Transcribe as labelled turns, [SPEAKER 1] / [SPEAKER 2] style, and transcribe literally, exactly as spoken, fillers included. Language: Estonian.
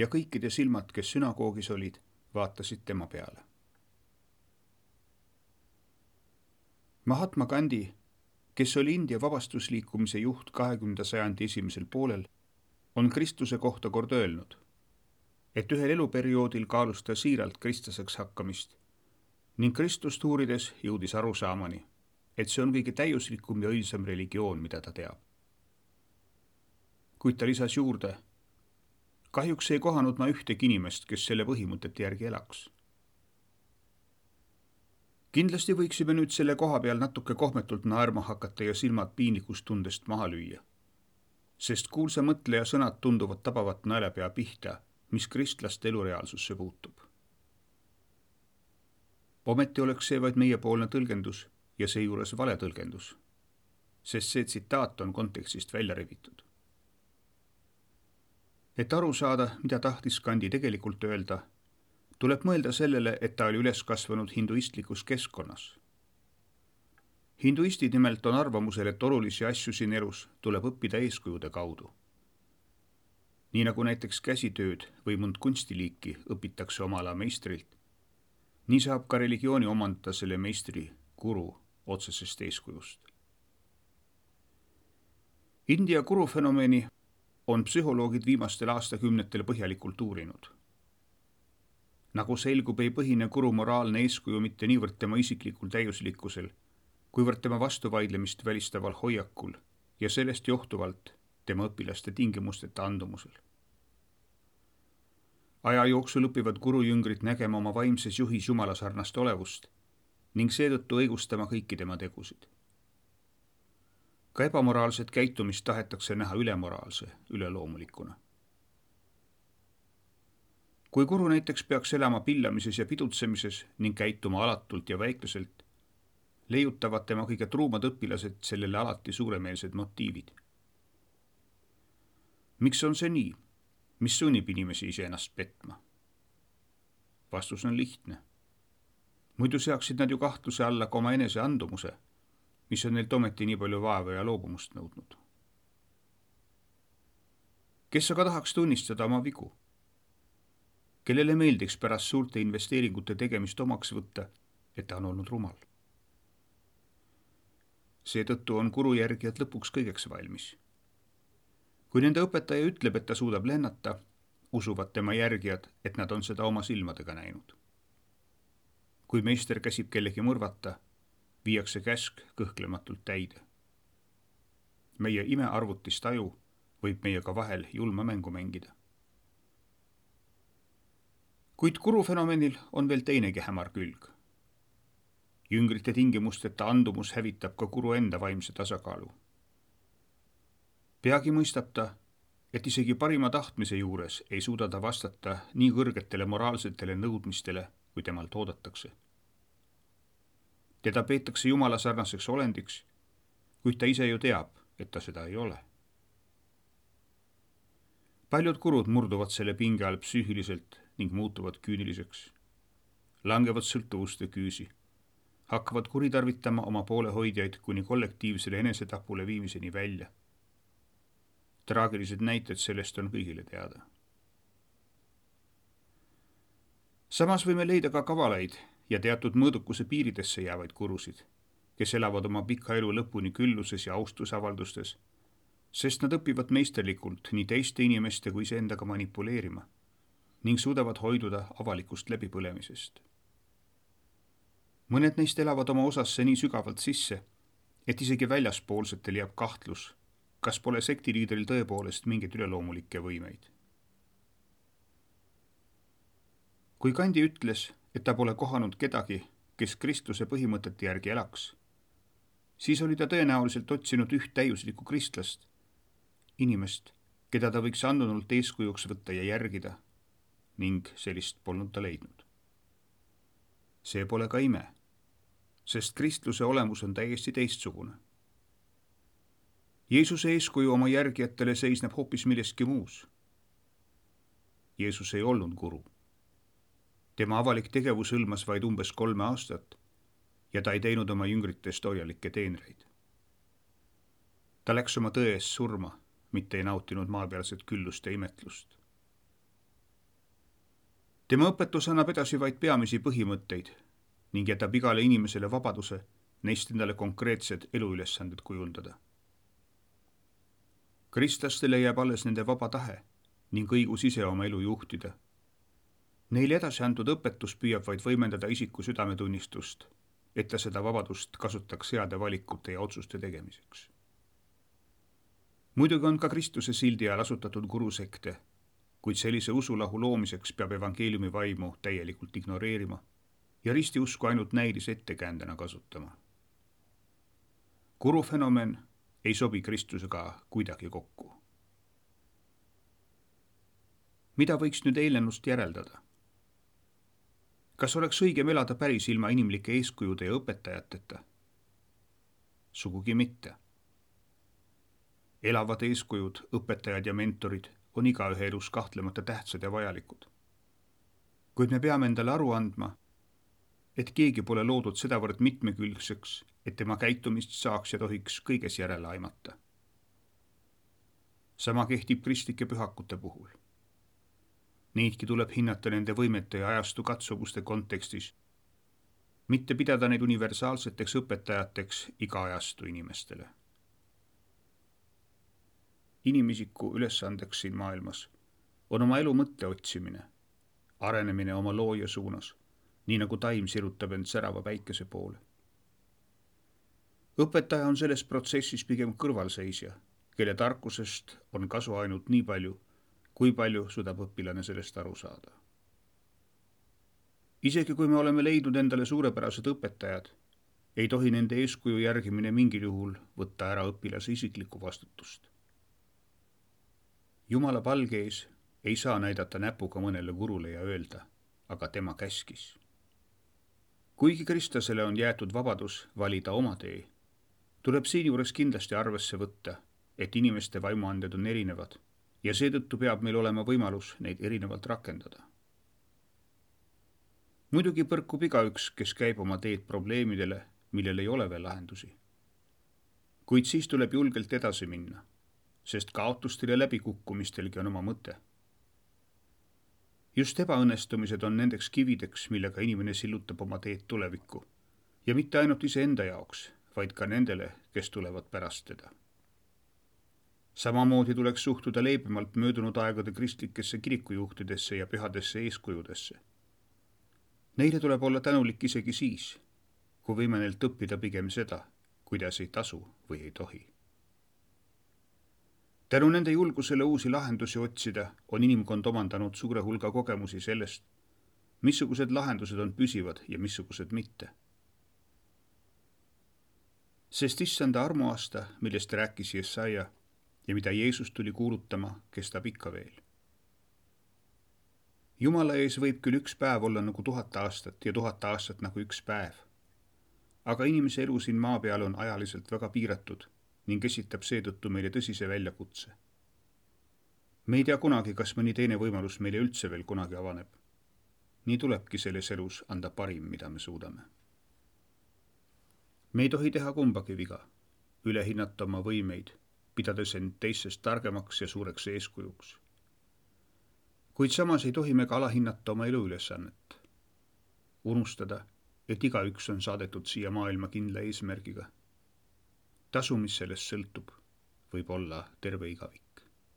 [SPEAKER 1] ja kõikide silmad, kes sünagoogis olid, vaatasid tema peale. Mahatma Gandhi, kes oli India vabastusliikumise juht kahekümnenda sajandi esimesel poolel, on Kristuse kohta kord öelnud, et ühel eluperioodil kaalus ta siiralt kristlaseks hakkamist ning Kristust uurides jõudis arusaamani, et see on kõige täiuslikum ja õilsam religioon, mida ta teab. Kuid ta lisas juurde, kahjuks ei kohanud ma ühtegi inimest, kes selle põhimõtete järgi elaks. Kindlasti võiksime nüüd selle koha peal natuke kohmetult naerma hakata ja silmad piinlikust tundest maha lüüa, sest kuulsa mõtleja sõnad tunduvad tabavat naelepea pihta, mis kristlaste elureaalsusse puutub. Ometi oleks see vaid meiepoolne tõlgendus ja seejuures vale tõlgendus, sest see tsitaat on kontekstist välja revitud. Et aru saada, mida tahtis Gandhi tegelikult öelda, tuleb mõelda sellele, et ta oli üles kasvanud hinduistlikus keskkonnas. Hinduistid nimelt on arvamusel, et olulisi asju siin elus tuleb õppida eeskujude kaudu. Nii nagu näiteks käsitööd või mõnd kunstiliiki õpitakse oma ala meistrilt, nii saab ka religiooni omandada selle meistri guru otsesest eeskujust. India guru fenomeni on psühholoogid viimastel aastakümnetel põhjalikult uurinud. Nagu selgub, ei põhine guru moraalne eeskuju mitte niivõrd tema isiklikul täiuslikkusel, kuivõrd tema vastuvaidlemist välistaval hoiakul ja sellest johtuvalt tema õpilaste tingimusteta andumusel. Aja jooksul õpivad gurujüngrid nägema oma vaimses juhis jumala sarnast olevust ning seetõttu õigustama kõiki tema tegusid. Ka ebamoraalset käitumist tahetakse näha ülemoraalse, üleloomulikuna. Kui guru näiteks peaks elama pillamises ja pidutsemises ning käituma alatult ja väikluselt, leiutavad tema kõige truumad õpilased sellele alati suuremeelsed motiivid. Miks on see nii? Mis sunnib inimesi iseennast petma? Vastus on lihtne. Muidu seaksid nad ju kahtluse alla ka oma enese andumuse, mis on neilt ometi nii palju vaeva ja loobumust nõudnud. Kes aga tahaks tunnistada oma vigu? Kellele meeldiks pärast suurte investeeringute tegemist omaks võtta, et ta on olnud rumal? Seetõttu on guru järgijad lõpuks kõigeks valmis. Kui nende õpetaja ütleb, et ta suudab lennata, usuvad tema järgijad, et nad on seda oma silmadega näinud. Kui meister käsib kellegi mõrvata, viiakse käsk kõhklematult täide. Meie imearvutist aju võib meiega vahel julma mängu mängida. Kuid guru fenomenil on veel teinegi hämar külg. Jüngrite tingimusteta andumus hävitab ka guru enda vaimse tasakaalu. Peagi mõistab ta, et isegi parima tahtmise juures ei suuda ta vastata nii kõrgetele moraalsetele nõudmistele, kui temalt oodatakse. Teda peetakse jumala sarnaseks olendiks, kuid ta ise ju teab, et ta seda ei ole. Paljud gurud murduvad selle pinge all psüühiliselt ning muutuvad küüniliseks, langevad sõltuvuste küüsi, hakkavad kuritarvitama oma poolehoidjaid kuni kollektiivsele enesetapule viimiseni välja. Traagilised näited sellest on kõigile teada. Samas võime leida ka kavalaid ja teatud mõõdukuse piiridesse jäävaid gurusid, kes elavad oma pika elu lõpuni külluses ja austusavaldustes, sest nad õpivad meisterlikult nii teiste inimeste kui iseendaga manipuleerima ning suudavad hoiduda avalikust läbipõlemisest. Mõned neist elavad oma osasse nii sügavalt sisse, et isegi väljaspoolsetel jääb kahtlus, kas pole sektiliidril tõepoolest mingeid üleloomulikke võimeid. Kui Gandhi ütles, et ta pole kohanud kedagi, kes Kristuse põhimõtete järgi elaks, siis oli ta tõenäoliselt otsinud üht täiuslikku kristlast, inimest, keda ta võiks andunult eeskujuks võtta ja järgida, ning sellist polnud ta leidnud. See pole ka ime, sest kristluse olemus on täiesti teistsugune. Jeesuse eeskuju oma järgijatele seisneb hoopis milleski muus. Jeesus ei olnud guru. Tema avalik tegevus hõlmas vaid umbes kolme aastat ja ta ei teinud oma jüngritest hoialikke teenreid. Ta läks oma tõe eest surma, mitte ei nautinud maapealset küllust ja imetlust. tema õpetus annab edasi vaid peamisi põhimõtteid ning jätab igale inimesele vabaduse neist endale konkreetsed eluülesanded kujundada. Kristlastele jääb alles nende vaba tahe ning õigus ise oma elu juhtida. Neile edasi antud õpetus püüab vaid võimendada isiku südametunnistust, et ta seda vabadust kasutaks heade valikute ja otsuste tegemiseks. Muidugi on ka Kristuse sildi all asutatud gurusekte, kuid sellise usulahu loomiseks peab evangeeliumi vaimu täielikult ignoreerima ja ristiusku ainult näidis ettekäändena kasutama. Gurufenomen ei sobi Kristusega kuidagi kokku. Mida võiks nüüd eelnenust järeldada? Kas oleks õigem elada päris ilma inimlike eeskujude ja õpetajateta? Sugugi mitte. Elavad eeskujud, õpetajad ja mentorid on igaühe elus kahtlemata tähtsad ja vajalikud. Kuid me peame endale aru andma, et keegi pole loodud sedavõrd mitmekülgseks, et tema käitumist saaks ja tohiks kõiges järele aimata. Sama kehtib kristlike pühakute puhul. Neidki tuleb hinnata nende võimete ja ajastu katsumuste kontekstis, mitte pidada neid universaalseteks õpetajateks iga ajastu inimestele. Inimisiku ülesandeks siin maailmas on oma elu mõtte otsimine, arenemine oma looja suunas, nii nagu taim sirutab end särava päikese poole. Õpetaja on selles protsessis pigem kõrvalseisja, kelle tarkusest on kasu ainult nii palju, kui palju suudab õpilane sellest aru saada. Isegi kui me oleme leidnud endale suurepärased õpetajad, ei tohi nende eeskuju järgimine mingil juhul võtta ära õpilase isiklikku vastutust. Jumala palge ees ei saa näidata näpuga mõnele gurule ja öelda, aga tema käskis. Kuigi kristlasele on jäetud vabadus valida oma tee, tuleb siinjuures kindlasti arvesse võtta, et inimeste vaimuanded on erinevad ja seetõttu peab meil olema võimalus neid erinevalt rakendada. Muidugi põrkub igaüks, kes käib oma teed probleemidele, millel ei ole veel lahendusi. Kuid siis tuleb julgelt edasi minna, sest kaotustel ja läbikukkumistelgi on oma mõte. Just ebaõnnestumised on nendeks kivideks, millega inimene sillutab oma teed tulevikku ja mitte ainult iseenda jaoks, vaid ka nendele, kes tulevad pärast teda. Samamoodi tuleks suhtuda leebemalt möödunud aegade kristlikesse kirikujuhtidesse ja pühadesse eeskujudesse. Neile tuleb olla tänulik isegi siis, kui võime neilt õppida pigem seda, kuidas ei tasu või ei tohi. Tänu nende julgusele uusi lahendusi otsida on inimkond omandanud suure hulga kogemusi sellest, missugused lahendused on püsivad ja missugused mitte. Sest issanda armuaasta, millest rääkis Jesaja ja mida Jeesus tuli kuulutama, kestab ikka veel. Jumala ees võib küll üks päev olla nagu tuhat aastat ja tuhat aastat nagu üks päev, aga inimese elu siin maa peal on ajaliselt väga piiratud ning esitab seetõttu meile tõsise väljakutse. Me ei tea kunagi, kas mõni teine võimalus meile üldse veel kunagi avaneb. Nii tulebki selles elus anda parim, mida me suudame. Me ei tohi teha kumbagi viga, üle hinnata oma võimeid, pidades end teistest targemaks ja suureks eeskujuks. Kuid samas ei tohi me ka alahinnata oma eluülesannet. Unustada, et igaüks on saadetud siia maailma kindla eesmärgiga. Tasu, mis sellest sõltub, võib olla terve igavik.